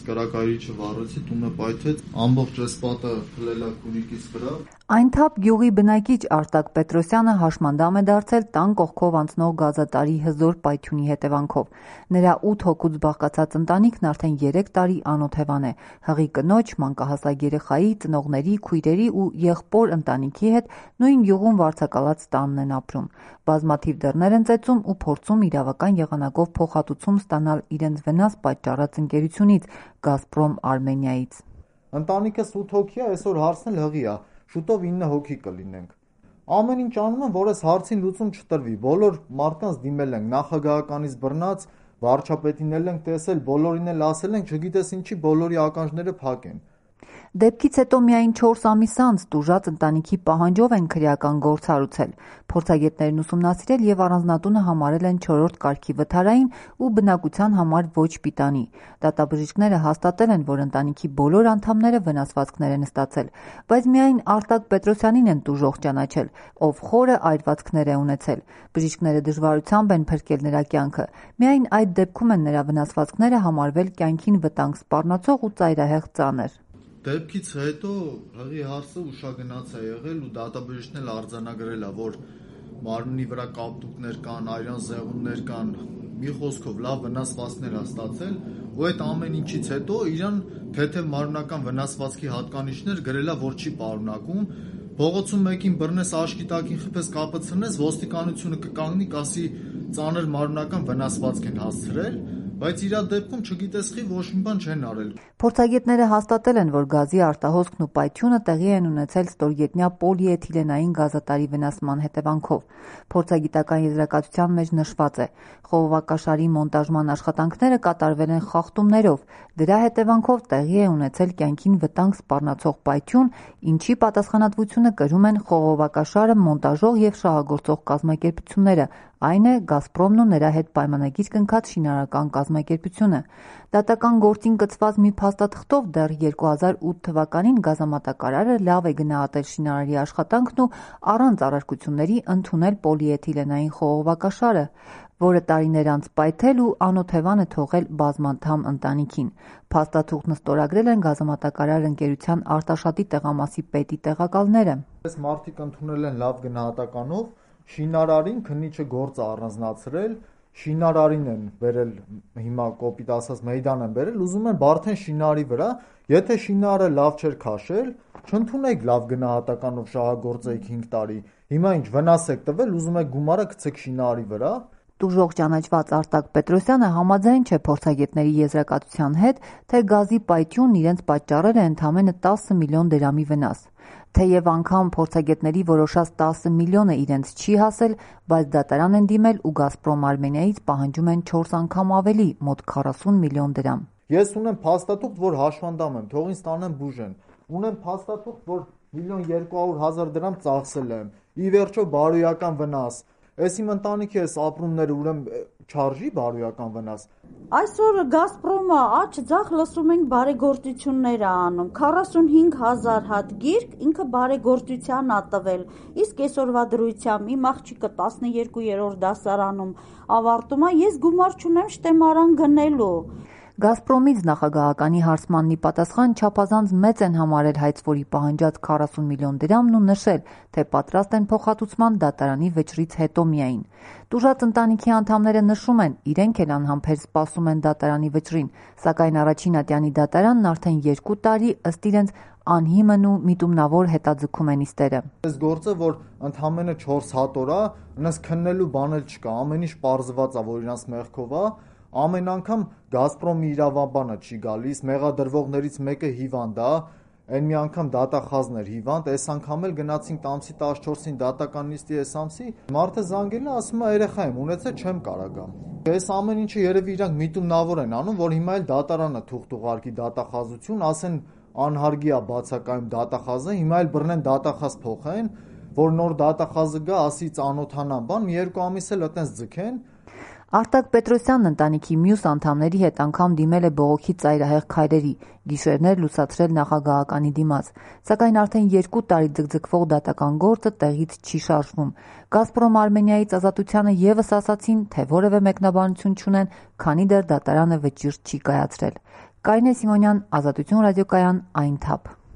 կրակայիչը վառեցի, տունը պայթեց, ամբողջ այս պատը փլելա քունիկիս վրա։ Այնթափ գյուղի բնակիչ Արտակ Պետրոսյանը հաշմանդամ է դարձել տան կողքով անցնող գազատարի հզոր պայթյունի հետևանքով։ Նրա 8 հոգուց բաղկացած ընտանիքն արդեն 3 տարի անօթևան է։ Հղի կնոջ, մանկահասակ երեխայի, ծնողների, քույրերի ու եղբոր ընտանիքի հետ նույն գյուղում վարձակալած տանն են ապրում։ Բազմաթիվ դռներ են ծեծում ու փորձում իրավական եղանակով փոխհատուցում ստանալ իրենց վնաս պատճառած ընկերությունից՝ Գազպրոմ Արմենիայից։ Ընտանիքս 8 հոգի է, այսօր հարցն էլ հղի է, շուտով 9 հոգի կլինենք։ Ամեն ինչ անում եմ, որ այս հարցին լուծում չտրվի։ Բոլոր մարդկանց դիմել ենք, նախագահականից բռնած, վարչապետին էլ ենք տեսել, բոլորին էլ ասել ենք, չգիտես ինչի բոլորի ականջները փակ են։ Դեպքից հետո միայն 4 ամիս անց տուժած ընտանիքի պահանջով են քրեական գործ հարուցել։ Փորձագետներն ուսումնասիրել եւ առանձնատունը համարել են 4-րդ կարգի վթարային ու բնակության համար ոչ պիտանի։ Դատաբժիշկները հաստատել են, որ ընտանիքի բոլոր անդամները վնասվածքներ են ստացել, բայց միայն Արտակ Պետրոսյանին են տուժող ճանաչել, ով խորը այրվածքներ է ունեցել։ Բժիշկները դժվարությամբ են փրկել նրա կյանքը։ Միայն այդ դեպքում են նրա վնասվածքները համարվել կյանքին վտանգ սպառնացող ու ծայրահեղ ծանր։ Դեպքից հետո հղի հարցը ուշագնաց է եղել ու դատաբժիշկն էլ արձանագրել է, որ մարմնի վրա կապտուկներ կան, այրան զեղուններ կան, մի խոսքով լավ վնասվածքներ է ստացել ու այդ ամեն ինչից հետո իրան թեթև մարմնական վնասվածքի հատկանիշներ գրել է, որ չի պարունակում։ Փողոցում մեկին բռնես, աչքի տակին խփես, կապը ցնես, ոստիկանությունը կկանգնի, կասի ծանր մարմնական վնասվածք են հասցրել, բայց իր դեպքում չգիտես խի ոչ մի բան չեն արել։ Փորձագետները հաստատել են, որ գազի արտահոսքն ու պայթյունը տեղի են ունեցել ստորգետնյա պոլիէթիլենային գազատարի վնասման հետևանքով։ Փորձագիտական եզրակացության մեջ նշված է. խողովակաշարի մոնտաժման աշխատանքները կատարվել են խախտումներով, դրա հետևանքով տեղի է ունեցել կյանքին վտանգ սպառնացող պայթյուն, ինչի պատասխանատվությունը կրում են խողովակաշարը մոնտաժող եւ շահագործող կազմակերպությունները, այն է Գազպրոմն ու նրա հետ պայմանագիր կնքած շինարարական կազմակերպությունը։ Դատական գործին կցված մի փաստաթղթով դեռ 2008 թվականին գազամատակարարը լավ է գնահատել շինարարի աշխատանքն ու առանց առարկությունների ընդունել պոլիէթիլենային խողովակաշարը, որը տարիներ անց պայթել ու անօթևան է թողել բազմանդամ ընտանիքին։ Փաստաթուղթն ստորագրել են գազամատակարար ընկերության Արտաշատի տեղամասի պետի տեղակալները։ Այս մարդիկ ընդունել են լավ գնահատականով, շինարարին քննիչը գործը առանձնացրել, շինարարին են բերել, հիմա կոպիտ ասած մեյդան են բերել, ուզում են բարդեն շինարարի վրա, եթե շինարարը լավ չէր քաշել, չընդունեք լավ գնահատականով շահագործեիք 5 տարի, հիմա ինչ վնաս եք տվել, ուզում եք գումարը գցեք շինարարի վրա։ Տուժող ճանաչված Արտակ Պետրոսյանը համաձայն չէ փորձագետների եզրակացության հետ, թե գազի պայթյունն իրենց պատճառել է ընդամենը 10 միլիոն դրամի վնաս։ Թեև անգամ փորձագետների որոշած 10 միլիոնը իրենց չի հասել, բայց դատարան են դիմել ու Գազպրոմ Արմենիայից պահանջում են 4 անգամ ավելի, մոտ 40 միլիոն դրամ։ Ես ունեմ փաստաթուղթ, որ հաշվանդամ եմ, թող ինձ տանեն բուժեն։ Ունեմ փաստաթուղթ, որ 1.200.000 դրամ ծախսել եմ։ Ի վերջո բարոյական վնաս։ Այս իմ ընտանիքի էս ապրումները ուրեմն չարժի բարոյական վնաս։ Այսօր Գազպրոմը աջ ձախ լսում ենք բարեգործություններ է անում, 45,000 հատ գիրք ինքը բարեգործության ա տվել, իսկ այսօրվա դրությամբ իմ աղջիկը 12-րդ դասարանում ավարտում է, ես գումար չունեմ շտեմարան գնելու։ Գազպրոմից նախագահականի հարցմանն ի պատասխան չափազանց մեծ են համարել հայցվորի պահանջած 40 միլիոն դրամն ու նշել, թե պատրաստ են փոխհատուցման դատարանի վճռից հետո միայն։ Տուժած ընտանիքի անդամները նշում են, իրենք էլ անհամբեր սպասում են դատարանի վճռին, սակայն առաջին ատյանի դատարանն արդեն 2 տարի ըստ իրենց անհիմն ու միտումնավոր հետաձգում են իստերը։ Այս գործը, որ ընդամենը 4 հատ օր է, այնպես քննելու բան էլ չկա, ամեն ինչ պարզված է, որ իրանց մեղքով է։ Ամեն անգամ Գազպրոմի իրավաբանը չի գալիս, մեղադրվողներից մեկը հիվանդ է, այն մի անգամ դատախազն էր հիվանդ, այս անգամ էլ գնացինք տամսի 14-ին դատական նիստի այս ամսի, մարդը զանգել է, ասում է երեխա եմ ունեցել, չեմ կարող գամ։ Այս ամեն ինչը երևի իրանք միտումնավոր են անում, որ հիմա էլ դատարանը թուղթ ուղարկի դատախազություն, ասեն անհարգի է բացակայում դատախազը, հիմա էլ բռնեն դատախազ փոխեն, որ նոր դատախազը գա, ասի ծանոթանան բան, մի 2 ամիս էլ այտենց ձգեն։ Արտակ Պետրոսյանն ընտանիքի մյուս անդամների հետ անգամ դիմել է բողոքի ծայրահեղ քայլերի, գիշերներ լուսացրել նախագահականի դիմաց, սակայն արդեն 2 տարի ձգձգվող դատական գործը տեղից չի շարժվում։ Գազպրոմ Արմենիայից ազատությանը ևս ասացին, թե որևէ մեկնաբանություն չունեն, քանի դեռ դատարանը վճիռ չի կայացրել։ Կարինե Սիմոնյան, Ազատություն ռադիոկայան, Այնթափ։